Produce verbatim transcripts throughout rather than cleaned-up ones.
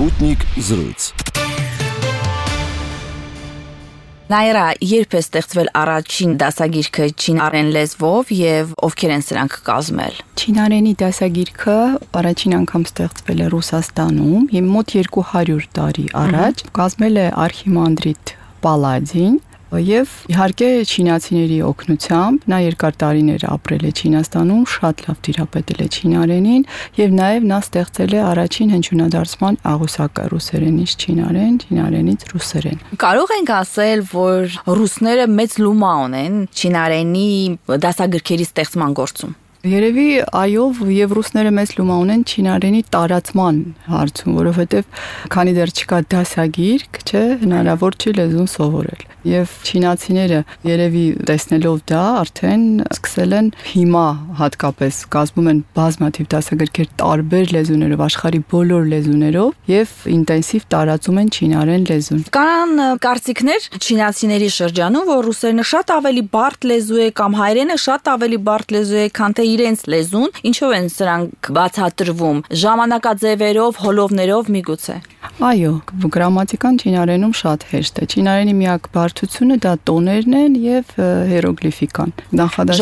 Sputnik զրույց։ Նաիրա, երբ է ստեղծվել առաջին դասագիրքը չինարեն լեզվով եւ ովքեր են սրանք կազմել։ Չինարենի դասագիրքը առաջին անգամ ստեղծվել է Ռուսաստանում, եւ մոտ երկու հարյուր տարի առաջ կազմել է արխիմանդրիտ Պալադին, եւ իհարկե չինացիների օգնությամբ նա երկար տարիներ ապրել է Չինաստանում, շատ լավ տիրապետել է չինարենին եւ նաեւ նա ստեղծել է առաջին հնչյունադարձման աղյուսակը ռուսերենից չինարեն, չինարենից ռուսերեն։ Կարող ենք ասել, որ ռուսները մեծ լումա ունեն չինարենի դասագրքերի ստեղծման գործում։ Երևի այո, եւ ռուսները մեծ լումա ունեն չինարենի տարածման հարցում, որովհետեւ քանի դեռ չկա դասագիրք, չէ, հնարավոր չի լեզուն սովորել։ Եվ չինացիները երևի տեսնելով դա արդեն սկսել են հիմա հատկապես կազմում են բազմաթիվ դասագրքեր տարբեր լեզուներով, աշխարհի բոլոր լեզուներով եւ ինտենսիվ տարածում են չինարեն լեզուն։ Կան կարծիքներ չինացիների շրջանում, որ ռուսերենը շատ ավելի բարդ լեզու է կամ հայերենը շատ ավելի բարդ լեզու է, քան թե իրենց լեզուն, ինչով են սրանք բացատրվում, ժամանակաձևերով, հոլովներով միգուցե։ Այո, գրամատիկան չինարենում շատ հեշտ է։ Չինարենի միակ բարդությունը դա տոներն են եւ հիերոգլիֆիկան։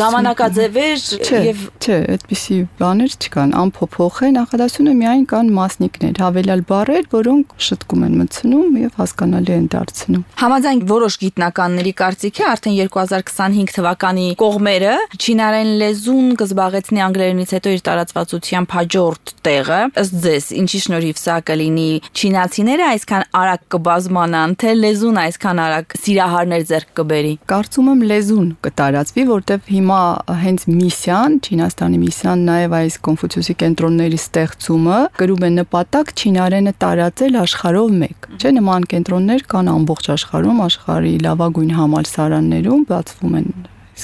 Ժամանակաձևեր եւ չէ, այդպիսի բաներ չկան, անփոփոխ է, նախադասությունը միայն կան մասնիկներ, հավելյալ բառեր, որոնք շտկում են մտցնում եւ հասկանալի են դարձնում։ Համաձայն որոշ գիտնականների կարծիքի արդեն երկու հազար քսանհինգ թվականի կողմերը չինարեն լեզուն կզբաղեցնի անգլերենից հետո իր տարածվածությամբ հաջորդ տեղը։ Ըստ ձեզ, ինչի շնորհիվ սա կլինի, չինացիները այսքան արագ կբազմանան, թե լեզուն այսքան արագ սիրահարներ ձեռք կբերի։ Կարծում եմ լեզուն կտարածվի, որտեվ հիմա հենց միսիան, Չինաստանի միսիան, նաև այս Կոնֆուցիուսի կենտրոնների ստեղծումը կրում է նպատակ չինարենը տարածել աշխարհով մեկ։ Չէ, նման կենտրոններ կան ամբողջ աշխարհում, աշխարհի լավագույն համալսարաններում բացվում են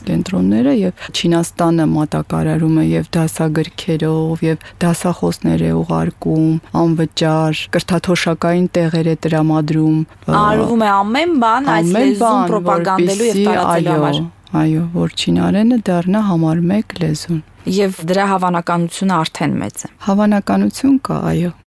կենտրոնները եւ Չինաստանը մատակարարում է եւ դասագրքերով եւ դասախոսներ է ուղարկում, անվճար կրթաթոշակային տեղեր է տրամադրում։ Արվում է ամեն բան այս լեզուն պրոպագանդելու եւ տարածելու համար։ Այո, որ չինարենը դառնա համար մեկ լեզուն։ Եվ դրա հավանականությունը արդեն մեծ է։ Հավանականություն կա, այո։